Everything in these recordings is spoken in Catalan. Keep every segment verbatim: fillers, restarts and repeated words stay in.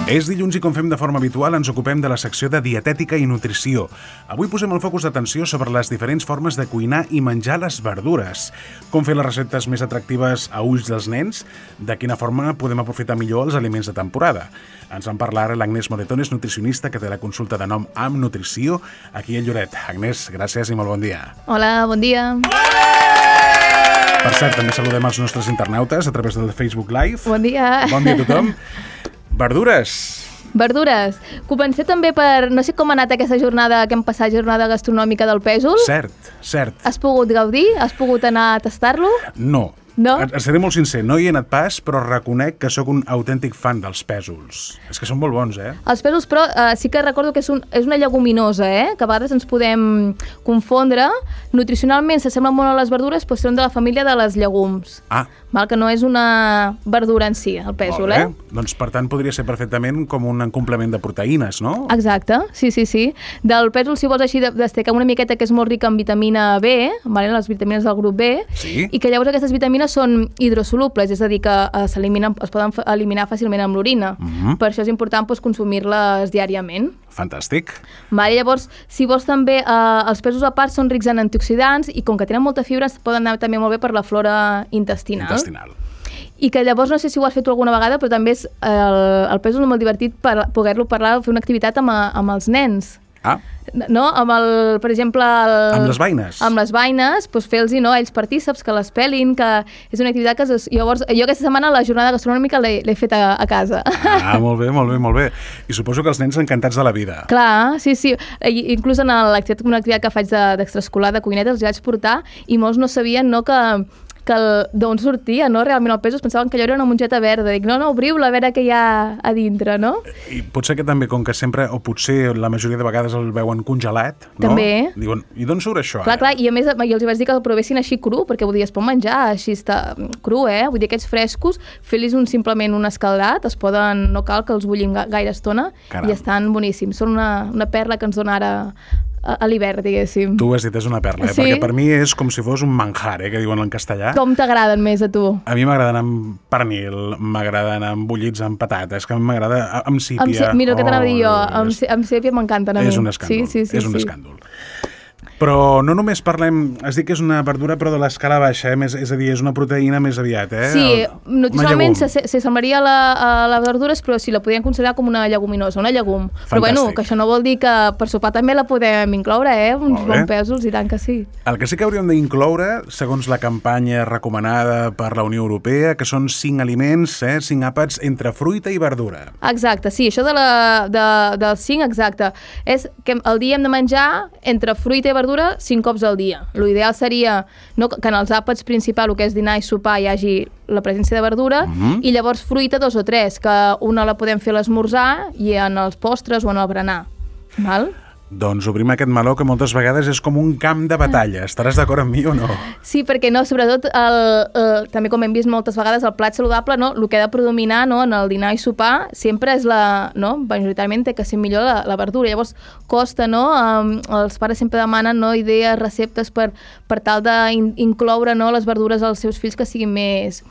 És dilluns i, com fem de forma habitual, ens ocupem de la secció de dietètica i nutrició. Avui posem el focus d'atenció sobre les diferents formes de cuinar i menjar les verdures. Com fer les receptes més atractives a ulls dels nens? De quina forma podem aprofitar millor els aliments de temporada? Ens en parla ara l'Agnès Moretones, nutricionista, que té la consulta de nom Am Nutrició, aquí a Lloret. Agnès, gràcies i molt bon dia. Hola, bon dia. Per cert, també saludem els nostres internautes a través del Facebook Live. Bon dia. Bon dia a tothom. Verdures. Verdures. Comencé també per... No sé com ha anat aquesta jornada que hem passat, jornada gastronòmica del pèsol. Cert, cert. Has pogut gaudir? Has pogut anar a tastar-lo? No. No? Et seré molt sincer, no hi he anat pas, però reconec que sóc un autèntic fan dels pèsols. És que són molt bons, eh? Els pèsols, però, eh, sí que recordo que és, un, és una lleguminosa, eh? Que a vegades ens podem confondre. Nutricionalment s'assemblen molt a les verdures, però són de la família de les llegums. Ah. Val? Que no és una verdura en si, el pèsol, eh? Doncs, per tant, podria ser perfectament com un complement de proteïnes, no? Exacte, sí, sí, sí. Del pèsol, si vols així, destacar una miqueta que és molt rica en vitamina B, vale? Les vitamines del grup B, sí. I que llavors aquestes vitamines són hidrosolubles, és a dir, que es, es poden eliminar fàcilment amb l'orina. Uh-huh. Per això és important doncs, consumir-les diàriament. Fantàstic. Vale, llavors, si vols també, eh, els pèsols a part són rics en antioxidants i com que tenen molta fibra poden anar també molt bé per la flora intestinal. Intestinal. I que llavors, no sé si ho has fet tu alguna vegada, però també és, eh, el, el pèsol és molt divertit per poder-lo parlar, fer una activitat amb, amb els nens. Ah. No? Amb el, per exemple... El, amb les beines. Amb les beines, doncs fer-los, no, ells partíceps, que les pelin, que és una activitat que... Es, llavors, jo aquesta setmana la jornada gastronòmica l'he fet a, a casa. Ah, molt bé, molt bé, molt bé. I suposo que els nens encantats de la vida. Clar, sí, sí. I, inclús en l'activitat, una activitat que faig d'extraescolar de cuineta, els vaig portar i molts no sabien, no, que... que d'on sortia, no? Realment el pèsol, pensaven que allò era una mongeta verda. Dic, no, no, obriu-la, a veure què hi ha a dintre, no? I potser que també, com que sempre, o potser la majoria de vegades el veuen congelat, no? També. Diuen, i d'on surt això? Clar, ara? Clar, i a més jo els vaig dir que el provessin així cru, perquè vull dir, es pot menjar així està cru, eh? Vull dir, aquests frescos, fer-los un, simplement un escaldat, es poden, no cal que els bullim gaire estona, Caram. I estan boníssims. Són una, una perla que ens dona ara a l'hivern, diguéssim. Tu ho has dit, és una perla, eh? Sí? Perquè per mi és com si fos un manjar, eh? Que diuen en castellà. Com t'agraden més a tu? A mi m'agraden amb pernil, m'agraden amb bullits amb patates, que a mi m'agrada amb sípia. Amb, mira el que t'anava a dir jo, Oh, amb, és... amb sèpia m'encanten a mi. És un escàndol, sí, sí, sí, és un sí. escàndol. Però no només parlem, has dit que és una verdura però de l'escala baixa, eh? Més, és a dir, és una proteïna més aviat, eh? Sí, El, nutricionalment s'assemblaria a, la, a les verdures, però sí, la podríem considerar com una lleguminosa, una llegum. Fantàstic. Però bueno, que això no vol dir que per sopar també la podem incloure, eh? Uns bons pèsols, i tant que sí. El que sí que hauríem d'incloure, segons la campanya recomanada per la Unió Europea, que són cinc aliments, eh? cinc àpats entre fruita i verdura. Exacte, sí, això de la, de, del cinc, exacte. És que el dia hem de menjar entre fruita i verdura cinc cops al dia. L'ideal seria no, que en els àpats principals, el que és dinar i sopar, hi hagi la presència de verdura, uh-huh. i llavors fruita dos o tres, que una la podem fer a l'esmorzar i en els postres o en el berenar. Val? Doncs obrim aquest meló que moltes vegades és com un camp de batalla. Estaràs d'acord amb mi o no? Sí, perquè no, sobretot, el, el, també com hem vist moltes vegades, el plat saludable, no, el que ha de predominar, no, en el dinar i sopar sempre és la, no, majoritàriament té que ser millor la, la verdura. Llavors costa, no, um, els pares sempre demanen, no, idees, receptes per, per tal d'incloure, no, les verdures als seus fills que siguin més...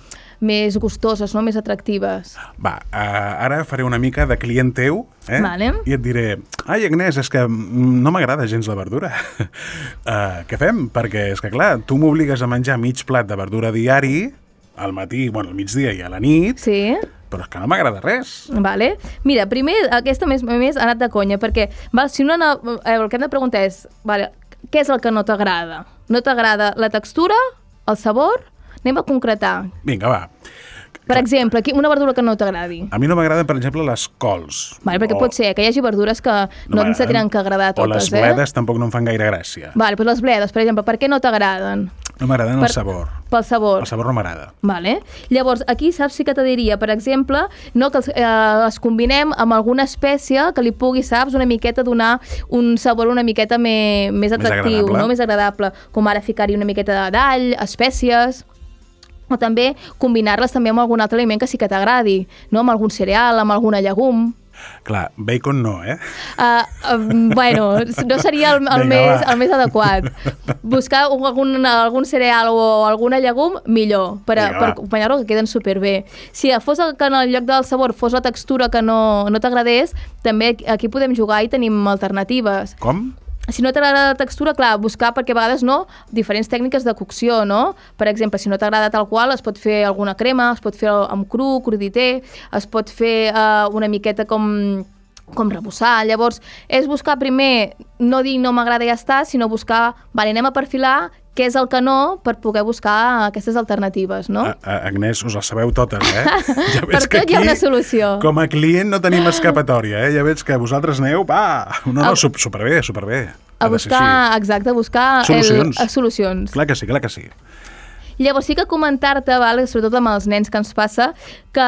més gustoses, no? Més atractives. Va, uh, ara faré una mica de client teu, eh? Vale. I et diré, ai, Agnès, és que no m'agrada gens la verdura. uh, què fem? Perquè, és que clar, tu m'obligues a menjar mig plat de verdura diari, al matí, bueno, al migdia i a la nit, sí. Però és que no m'agrada res. Vale. Mira, primer, aquesta més, més ha anat de conya, perquè val, si una, eh, el que hem de preguntar és, vale, què és el que no t'agrada? No t'agrada la textura, el sabor? Anem a concretar. Vinga, va. Per exemple, una verdura que no t'agradi. A mi no m'agraden, per exemple, les cols. Vale, perquè o... pot ser que hi hagi verdures que no, no ens tenen que agradar totes. O les bledes eh? Tampoc no em fan gaire gràcia. Vale, doncs les bledes, per exemple, per què no t'agraden? No m'agraden per... el sabor. Pel sabor. El sabor no m'agrada. Vale. Llavors, aquí saps sí que te diria, per exemple, no, que els, eh, les combinem amb alguna espècie que li pugui, saps, una miqueta donar un sabor una miqueta me, més atractiu, més no? Més agradable. Com ara ficar-hi una miqueta d'all, espècies... O també combinar-les també amb algun altre aliment que sí que t'agradi, no? Amb algun cereal, amb alguna llegum. Clar, bacon no, eh? Uh, uh, bueno, no seria el, el, Vinga, més, va. el més adequat. Buscar un, algun, algun cereal o alguna llegum, millor, per, a, Vinga, per va. acompanyar-lo, que queden superbé. Si fos el, que en el lloc del sabor fos la textura que no, no t'agradés, també aquí podem jugar i tenim alternatives. Com? Si no t'agrada la textura, clar, buscar, perquè a vegades no, diferents tècniques de cocció, no? Per exemple, si no t'agrada tal qual, es pot fer alguna crema, es pot fer amb cru, cruditer, es pot fer uh, una miqueta com, com rebussar. Llavors, és buscar primer, no dir no m'agrada i ja està, sinó buscar, vale, anem a perfilar què és el que no, per poder buscar aquestes alternatives, no? A, a, Agnès, us les sabeu totes, eh? Ja Per tot hi ha una solució. Com a client no tenim escapatòria, eh? Ja veig que vosaltres aneu, va! No, no, A- superbé, superbé. A buscar, exacte, a buscar Solucions. El, a solucions. Clar que sí, clar que sí. Llavors sí que comentar-te, vale, sobretot amb els nens que ens passa, que,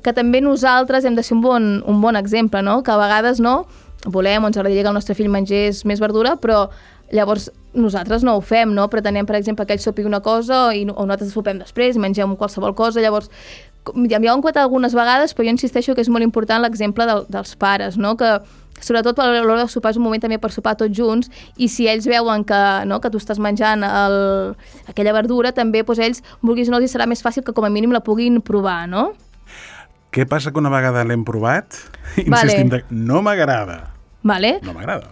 que també nosaltres hem de ser un bon, un bon exemple, no? Que a vegades no volem o ens agradaria que el nostre fill mengés més verdura, però llavors nosaltres no ho fem, no? Pretenem, per exemple, que ell sopi una cosa i, o nosaltres sopem després i mengem qualsevol cosa, llavors ja m'hi ho han contat algunes vegades, però jo insisteixo que és molt important l'exemple del, dels pares, no? Que sobretot a l'hora de sopar és un moment també per sopar tots junts, i si ells veuen que, no, que tu estàs menjant el, aquella verdura, també doncs, ells, vulguis o no, els serà més fàcil que com a mínim la puguin provar, no? Què passa que una vegada l'hem provat? Vale. Insistim, de, no m'agrada. Vale? No m'agrada.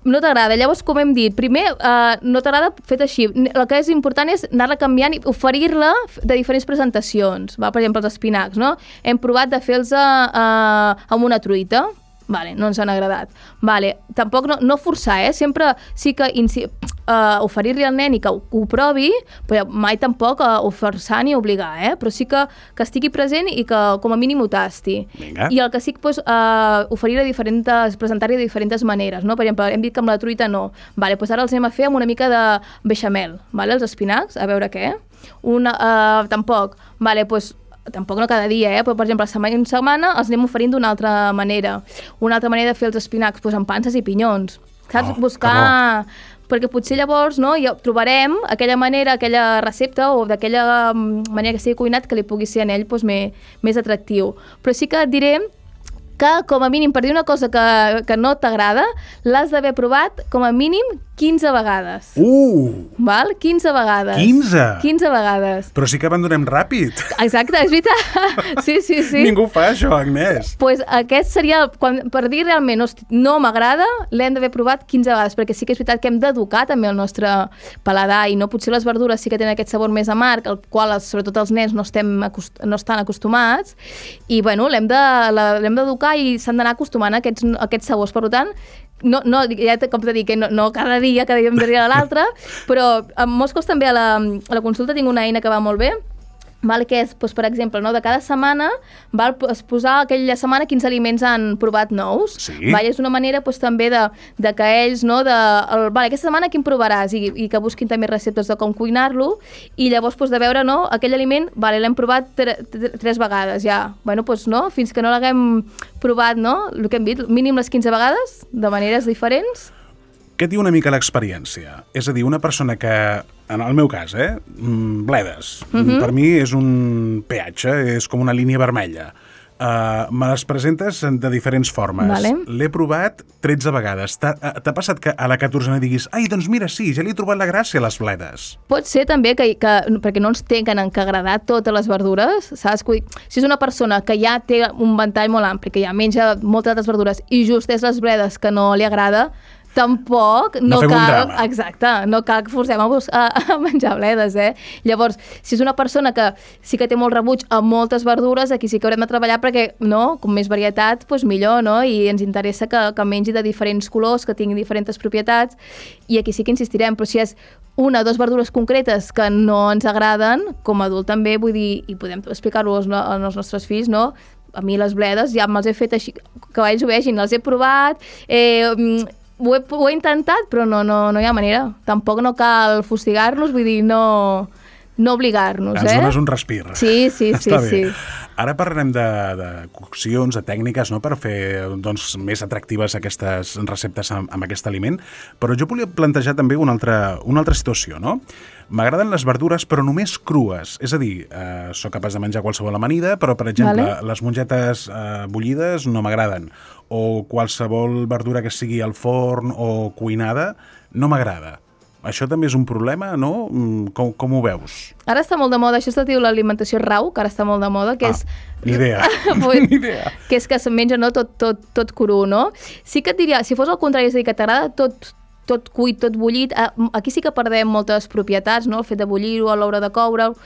No t'agrada. Llavors, com hem dit, primer, eh, no t'agrada fet així. El que és important és anar-la canviant i oferir-la de diferents presentacions. Va? Per exemple, els espinacs, no? Hem provat de fer-los eh, amb una truita. Vale, no ens han agradat. Vale, tampoc no, no forçar, eh? Sempre sí que insi- uh, oferir-li al nen i que ho, que ho provi, però mai tampoc uh, o forçar ni obligar, eh? Però sí que, que estigui present i que com a mínim ho tasti. Vinga. I el que sí que pues, uh, oferir de diferents, presentar-li de diferents maneres, no? Per exemple, hem dit que amb la truita no. Vale, pues ara els anem a fer amb una mica de beixamel, vale? Els espinacs, a veure què. Una, uh, tampoc. Vale, pues tampoc no cada dia, eh? Però, per exemple, la setmana en setmana els anem oferint d'una altra manera. Una altra manera de fer els espinacs, doncs, amb panses i pinyons. Saps? Oh, Buscar... Perquè potser llavors no, ja trobarem aquella manera, aquella recepta o d'aquella manera que sigui cuinat que li pugui ser en ell doncs, més, més atractiu. Però sí que et diré que, com a mínim, per dir una cosa que, que no t'agrada, l'has d'haver provat com a mínim quinze vegades. Uh! Val? quinze vegades. quinze? quinze vegades. Però sí que abandonem ràpid. Exacte, és veritat. Sí, sí, sí. Ningú fa això, Agnès. Pues aquest seria, el, quan, per dir realment hosti, no m'agrada, l'hem d'haver provat quinze vegades, perquè sí que és veritat que hem d'educar també el nostre paladar, i no potser les verdures sí que tenen aquest sabor més amarg, al qual sobretot els nens no, estem acost no estan acostumats, i bueno, l'hem d'educar i s'han d'anar acostumant a aquests, a aquests sabors. Per tant, no, no, ja com t'he dit, que no, no cada dia, cada dia em diria l'altre, però en molts cops també a la, a la consulta tinc una eina que va molt bé, val, que és, doncs, per exemple, no, de cada setmana val, es posar aquella setmana quins aliments han provat nous. Sí. Val, és una manera doncs, també de, de que ells, no, de, el, val, aquesta setmana quin provaràs, i, i que busquin també receptes de com cuinar-lo, i llavors doncs, de veure, no, aquell aliment, vale, l'hem provat tre, tre, tres vegades ja, bueno, doncs, no, fins que no l'haguem provat, no, el que hem dit, mínim les quinze vegades, de maneres diferents. Què et diu una mica l'experiència? És a dir, una persona que, en el meu cas, eh, bledes, Mhm. per mi és un peatge, és com una línia vermella. Uh, me les presentes de diferents formes. Vale. L'he provat tretze vegades. T'ha t'ha passat que a la catorzena diguis ai, doncs mira, sí, ja li he trobat la gràcia a les bledes. Pot ser també que, que perquè no ens tenen que agradar totes les verdures, saps? Vull dir, si és una persona que ja té un ventall molt ampli, que ja menja moltes altres verdures i just és les bledes que no li agrada, tampoc No no, fem un cal, drama. exacte, no cal que forcem a, a, a menjar bledes, eh? Llavors, si és una persona que sí que té molt rebuig a moltes verdures, aquí sí que haurem de treballar perquè, no, com més varietat, doncs millor, no? I ens interessa que, que mengi de diferents colors, que tingui diferents propietats, i aquí sí que insistirem, però si és una o dues verdures concretes que no ens agraden, com a adult també, vull dir, i podem explicar-ho als, als nostres fills, no? A mi les bledes ja me'ls he fet així, que ells ho vegin, les he provat, eh, Ho he, ho he intentat, però no, no, no hi ha manera. Tampoc no cal fustigar-nos, vull dir, no, no obligar-nos, Ens eh? dones un respir. Sí, sí, sí, Està bé. sí. Ara parlarem de, de coccions, de tècniques, no?, per fer doncs, més atractives aquestes receptes amb, amb aquest aliment, però jo volia plantejar també una altra, una altra situació, no? M'agraden les verdures, però només crues. És a dir, eh, sóc capaç de menjar qualsevol amanida, però, per exemple, vale. les mongetes eh, bullides no m'agraden. O qualsevol verdura que sigui al forn o cuinada no m'agrada. Això també és un problema, no? Com, com ho veus? Ara està molt de moda, això es diu l'alimentació rau, que ara està molt de moda, que ah, és... Ni idea, pues, ni idea. Que és que se'n menja, no?, tot, tot, tot cru, no? Sí que et diria, si fos al contrari, és a dir, que t'agrada tot, tot cuit, tot bullit, aquí sí que perdem moltes propietats, no?, el fet de bullir-ho, a l'hora de coure'l.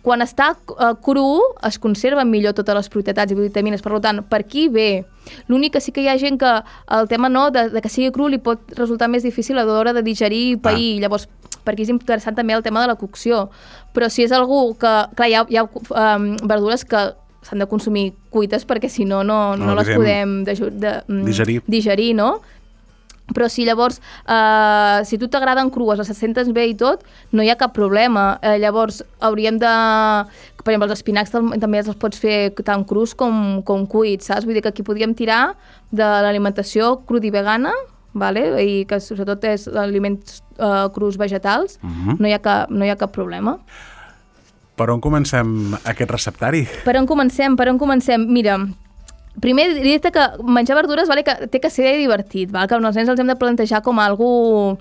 Quan està uh, cru, es conserven millor totes les propietats i vitamines, per tant, per aquí bé. L'únic que sí que hi ha gent que el tema no, de, de que sigui cru li pot resultar més difícil a l'hora de digerir i pair, ah. Llavors per aquí és interessant també el tema de la cocció. Però si és algú que, clar, hi ha, hi ha um, verdures que s'han de consumir cuites perquè si no, no, no, no les podem de, de, um, digerir. digerir, no? Però si llavors, eh, si tu t'agraden crues, les sentes bé i tot, no hi ha cap problema. Eh, llavors hauríem de... Per exemple, els espinacs també els pots fer tant crus com, com cuits, saps? Vull dir que aquí podríem tirar de l'alimentació crud i vegana, vale? I que sobretot és aliments eh, crus vegetals, uh-huh. no, hi ha cap, no hi ha cap problema. Per on comencem aquest receptari? Per on comencem? Per on comencem? Mira... Primer, dir-te que menjar verdures vale, que té que ser divertit, val? Que els nens els hem de plantejar com algo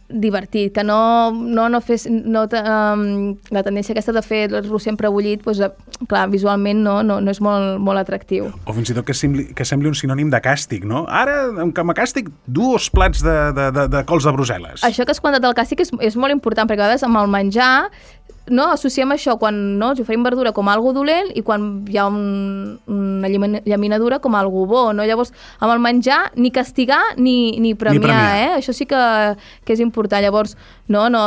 divertit, que no, no, no fes... No, um, la tendència aquesta de fer-lo sempre bullit, doncs, clar, visualment no, no, no és molt, molt atractiu. O fins i tot que sembli, que sembli un sinònim de càstig, no? Ara, com a càstig, dos plats de, de, de, de cols de Brussel·les. Això que has comentat del càstig és, és molt important, perquè a vegades amb el menjar no, associem això quan no, ens oferim verdura com algo dolent i quan hi ha un, una llaminadura com algo bo, no? Llavors, amb el menjar, ni castigar ni, ni premiar, ni premiar. Eh? Això sí que, que és important. Llavors, no, no,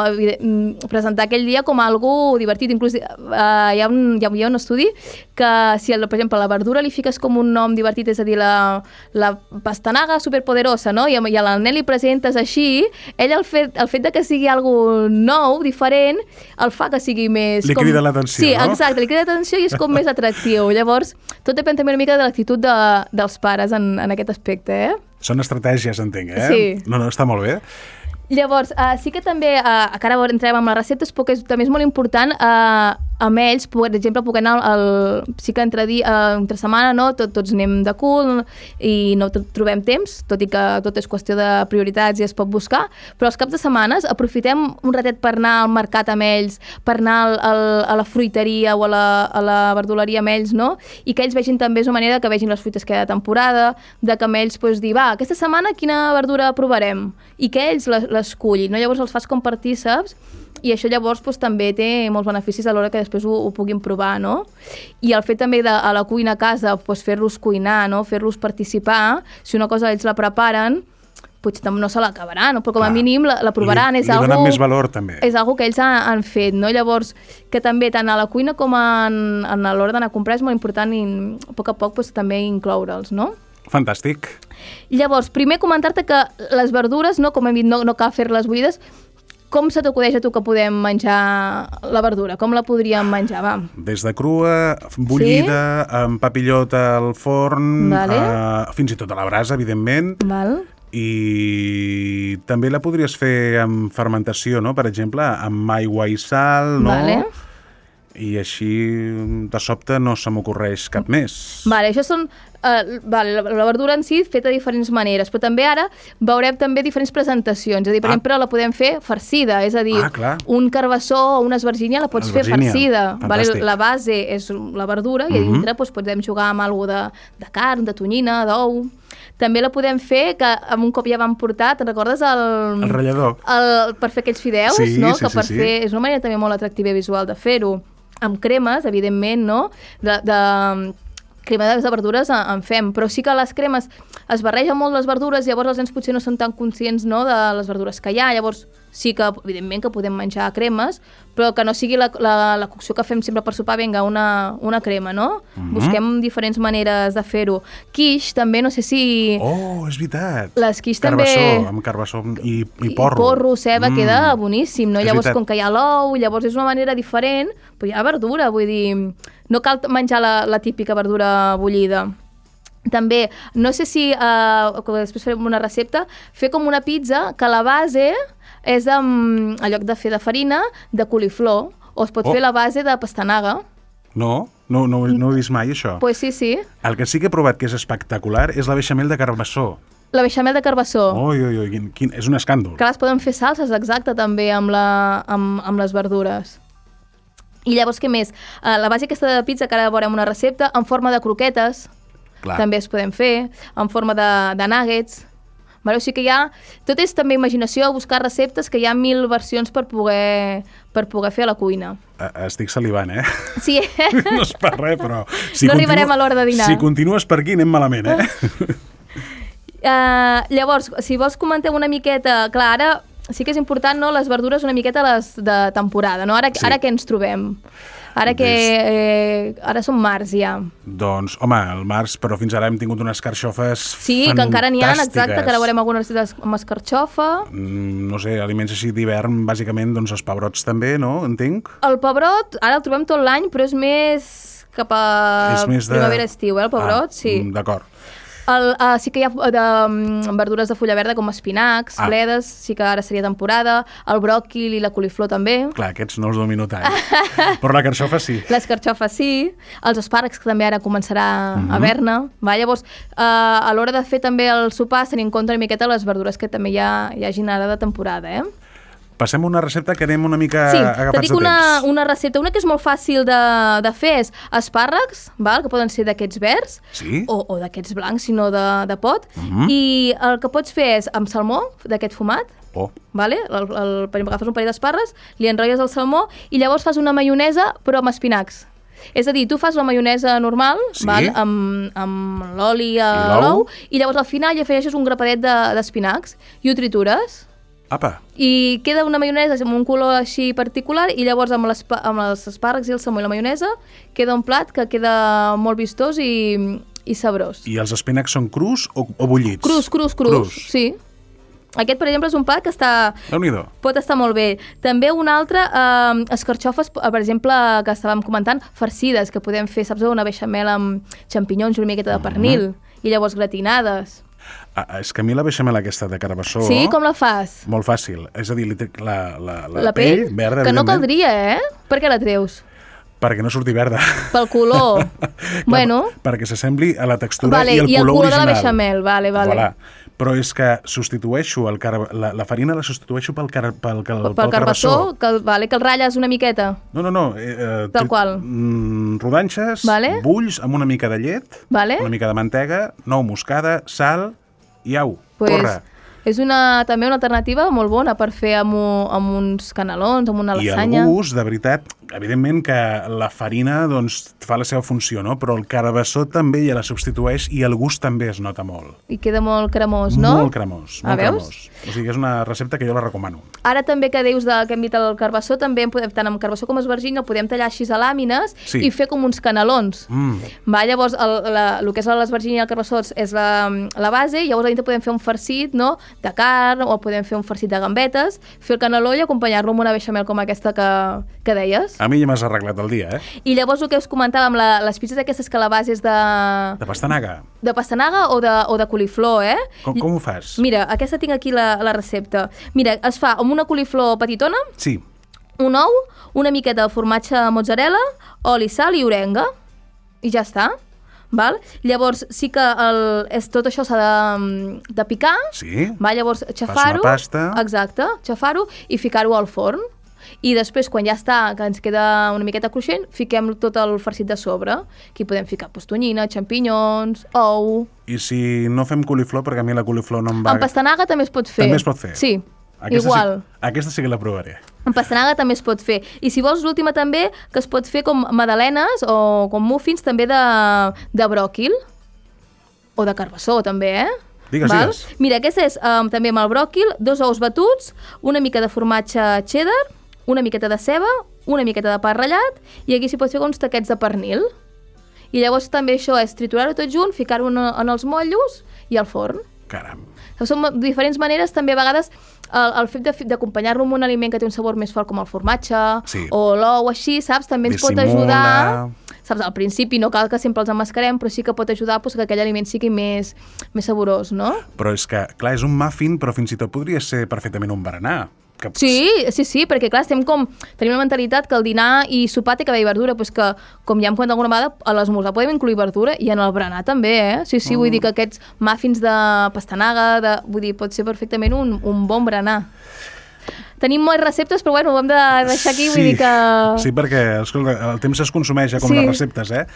presentar aquell dia com algo divertit. Inclús eh, hi, ha un, hi ha un estudi que si, per exemple, la verdura li fiques com un nom divertit, és a dir, la, la pastanaga superpoderosa, no? I, i a la nen li presentes així, ell el fet, el fet de que sigui algo nou, diferent, el fa que sigui més... Li crida l'atenció, sí, no? Sí, exacte, li crida l'atenció i és com més atractiu. Llavors, tot depèn també una mica de l'actitud de, dels pares en, en aquest aspecte, eh? Són estratègies, entenc, eh? Sí. No, no, està molt bé. Llavors, uh, sí que també, uh, que ara entrem amb les receptes, perquè és, també és molt important uh, amb ells, per exemple, puc anar al, sí que entre, di, uh, entre setmana, no? Tot, tots anem de cul i no trobem temps, tot i que tot és qüestió de prioritats i es pot buscar, però els caps de setmanes aprofitem un ratet per anar al mercat amb ells, per anar al, al, a la fruiteria o a la, a la verduleria amb ells, no? I que ells vegin també, és una manera que vegin les fruites que hi ha de temporada, de que amb ells pues, dir, va, aquesta setmana quina verdura provarem? I que ells l'escullin, no? Llavors els fas com partíceps i això llavors pues, també té molts beneficis a l'hora que després ho, ho puguin provar, no? I el fet també de a la cuina a casa pues, fer-los cuinar, no? Fer-los participar, si una cosa ells la preparen, potser no se l'acabaran, no? Però com a mínim la, la provaran. Li, és li algo, donen més valor també. És algo que ells han, han fet, no? Llavors, que també tant a la cuina com en, en a l'hora d'anar a comprar és molt important i a poc a poc pues, també incloure'ls, no? Fantàstic. Llavors, primer comentar-te que les verdures, no, com hem dit, no, no cal fer-les bullides. Com se t'acudeix a tu que podem menjar la verdura? Com la podríem menjar? Va. Des de crua, bullida, sí? Amb papillota al forn, vale. uh, fins i tot a la brasa, evidentment. Val. I també la podries fer amb fermentació, no? Per exemple, amb aigua i sal, no? Vale. I així, de sobte, no se m'ocorreix cap més. Vale, això són... Uh, vale, la, la verdura en si feta de diferents maneres, però també ara veurem també diferents presentacions. És a dir, per ah. exemple, la podem fer farcida, és a dir, ah, un carbassó o una esvergínia la pots fer farcida. Vale? La base és la verdura i a dintre uh-huh. doncs, podem jugar amb alguna de, de carn, de tonyina, d'ou. També la podem fer, que amb un cop ja vam portar, te'n recordes? El, el ratllador. El, per fer aquells fideus, sí, no? Sí, que per sí, fer, sí. és una manera també molt atractiva i visual de fer-ho. Amb cremes, evidentment, no? De... de crema de verdures en fem, però sí que les cremes es barregen molt les verdures, llavors els nens potser no són tan conscients, no, de les verdures que hi ha, llavors sí que, evidentment, que podem menjar cremes, però que no sigui la, la, la cocció que fem sempre per sopar, vinga, una, una crema, no? Uh-huh. Busquem diferents maneres de fer-ho. Quiche, també, no sé si... Oh, és veritat! Les quiche carbassó, també... amb carbassó i, i porro. I porro, ceba, mm. queda boníssim, no? És llavors, veritat. Com que hi ha l'ou, llavors és una manera diferent, però hi ha verdura, vull dir... no cal menjar la, la típica verdura bullida. També, no sé si, uh, després farem una recepta, fer com una pizza que la base és, de, en lloc de fer de farina, de coliflor, o es pot oh. fer la base de pastanaga. No, no, no, no ho he vist mai, això. Pues sí, sí. El que sí que he provat que és espectacular és la beixamel de carbassó. La beixamel de carbassó. Ui, ui, ui, quin, quin, és un escàndol. Que les poden fer salses, exacte, també, amb, la, amb, amb les verdures. I llavors, què més? Uh, la base aquesta de pizza, que ara veurem una recepta, en forma de croquetes, clar. També es podem fer, en forma de, de nuggets. Vale? O sigui que hi ha... Tot és també imaginació, buscar receptes, que hi ha mil versions per poder, per poder fer a la cuina. Estic salivant, eh? Sí. No és per res, però... Si no arribarem a l'hora de dinar. Si continues per aquí, anem malament, eh? Uh, llavors, si vols comentar una miqueta... Clar, ara sí que és important, no?, les verdures una miqueta les de temporada, no? Ara, sí. Ara què ens trobem? Ara que... Eh, ara som març, ja. Doncs, home, el març, però fins ara hem tingut unes carxofes sí, fantàstiques. Sí, que encara n'hi ha, exacte, que ara veurem algunes recetes amb escarxofa. Mm, no sé, aliments així d'hivern, bàsicament, doncs els pebrots també, no? Entenc? El pebrot, ara el trobem tot l'any, però és més cap a primavera-estiu, eh, el pebrot, ah, sí. D'acord. El, uh, sí que hi ha de, um, verdures de fulla verda com espinacs, ah. bledes, sí que ara seria temporada, el bròquil i la coliflor també. Clar, aquests no els domino tant, però la carxofa sí. Les carxofes sí, els espàrrecs que també ara començarà mm-hmm. a haver-ne. Llavors, uh, a l'hora de fer també el sopar, tenir en compte una miqueta les verdures que també hi, ha, hi hagin ara de temporada, eh? Passem a una recepta que anem una mica sí, agafats de temps. Sí, una, una recepta, una que és molt fàcil de, de fer és espàrrecs, val? Que poden ser d'aquests verds sí? o, o d'aquests blancs, si no de, de pot. Uh-huh. I el que pots fer és amb salmó, d'aquest fumat, oh. vale? el, el, per exemple, agafes un parell d'espàrrecs, li enrotlles el salmó i llavors fas una maionesa però amb espinacs. És a dir, tu fas la maionesa normal, sí? val? amb, amb l'oli a l'ou, i llavors al final hi afegeixes un grapadet d'espinacs de, i ho tritures. Apa. I queda una maionesa amb un color així particular i llavors amb, les, amb els espàrrecs i el salmó i la maionesa queda un plat que queda molt vistós i, i sabrós. I els espinacs són crus o, o bullits? Crus, crus, crus, crus, sí. Aquest, per exemple, és un plat que està... Déu-n'hi-do. Pot estar molt bé. També un altre, eh, escarxofes, per exemple, que estàvem comentant, farcides, que podem fer, saps, una beixamel amb xampinyons i una miqueta de pernil, mm-hmm. i llavors gratinades. Ah, és que a mi la beixamel aquesta de carbassó... Sí? Com la fas? Molt fàcil. És a dir, la, la, la, la pell, pell verda... Que no caldria, eh? Per què la treus? Perquè no surti verda. Pel color. Clar, bueno. Perquè s'assembli a la textura vale, i el i color original. I el color de la beixamel, vale, vale. Voilà. Però és que substitueixo el car... la, la farina la substitueixo pel, car... pel, pel, pel, pel carbassó. Que, vale, que el ratlles una miqueta. No, no, no. Eh, Tal qual. Mm, rodanxes, vale. bulls amb una mica de llet, vale. una mica de mantega, nou moscada, sal i au, pues, corre. És una, també una alternativa molt bona per fer amb, amb uns canelons, amb una lasanya. I el gust, de veritat, evidentment que la farina doncs, fa la seva funció, no? Però el carbassó també ja la substitueix i el gust també es nota molt. I queda molt cremós, no? Molt cremós, molt cremós. O sigui, és una recepta que jo la recomano. Ara també que dius de, que hem dit el carbassó, també en podem, tant amb carbassó com esverginy, el podem tallar així a làmines sí. i fer com uns canelons. Mm. Va, llavors, el, la, el que és l'esverginy i el carbassó és la, la base, i llavors a dintre podem fer un farcit, no?, de carn, o podem fer un farcit de gambetes, fer el caneló i acompanyar-lo amb una beixamel com aquesta que, que deies. A mi ja m'has arreglat el dia, eh? I llavors el que us comentàvem, la, les pizzas aquestes que la base és de... De pastanaga. De pastanaga o de, o de coliflor, eh? Com, com ho fas? Mira, aquesta tinc aquí la, la recepta. Mira, es fa amb una coliflor petitona, sí. un ou, una miqueta de formatge mozzarella, oli, sal i orenga, i ja està. Val? Llavors sí que el, és, tot això s'ha de, de picar, sí. va? Llavors xafar-ho, exacte, xafar-ho i ficar-ho al forn. I després, quan ja està, que ens queda una miqueta cruixent, fiquem tot el farcit de sobre. Aquí podem ficar pues, tonyina, xampinyons, ou... I si no fem coliflor, perquè a mi la coliflor no em va... Amb pastanaga també es pot fer. També es pot fer? Sí, aquesta igual. Sí, aquesta sí que la provaré. Amb pastanaga també es pot fer. I si vols l'última també, que es pot fer com magdalenes o com muffins també de, de bròquil o de carbassó també, eh? Digues, Val? digues. Mira, aquesta és um, també amb el bròquil, dos ous batuts, una mica de formatge cheddar, una miqueta de ceba, una miqueta de pa ratllat, i aquí s'hi pot fer uns taquets de pernil. I llavors també això és triturar-ho tot junt, ficar-ho en, en els motllos i al forn. Caram. Són diferents maneres, també a vegades el, el fet d'acompanyar-lo amb un aliment que té un sabor més fort com el formatge sí. o l'ou així, saps? També ens Dissimula. pot ajudar... saps, al principi no cal que sempre els emmascarem, però sí que pot ajudar pues, que aquell aliment sigui més, més saborós, no? Però és que, clar, és un muffin, però fins i tot podria ser perfectament un berenar. Que... Sí, sí, sí, perquè clar, estem com, tenim una mentalitat que el dinar i sopar té que haver verdura, doncs que, com ja hem comentat alguna vegada, a l'esmorzar podem incluir verdura i en el berenar també, eh? Sí, sí, mm. vull dir que aquests muffins de pastanaga, de, vull dir, pot ser perfectament un, un bon berenar. Tenim moltes receptes, però bueno, ho hem de deixar aquí, vull sí, dir que... Sí, perquè escolta, el temps es consumeix ja com sí. les receptes, eh?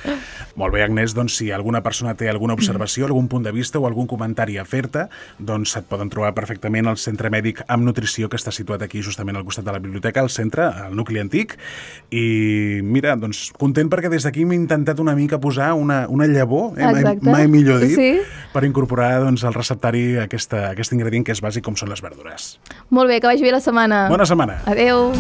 Molt bé, Agnès, doncs si alguna persona té alguna observació, algun punt de vista o algun comentari a fer-te, doncs et poden trobar perfectament al Centre Mèdic amb Nutrició, que està situat aquí justament al costat de la biblioteca, al centre, al nucli antic, i mira, doncs content perquè des d'aquí m'he intentat una mica posar una, una llavor, eh? mai, mai millor dit, sí. per incorporar doncs, al receptari aquesta, aquest ingredient que és bàsic com són les verdures. Molt bé, que vagi bé la setmana. Bona setmana. Adéu.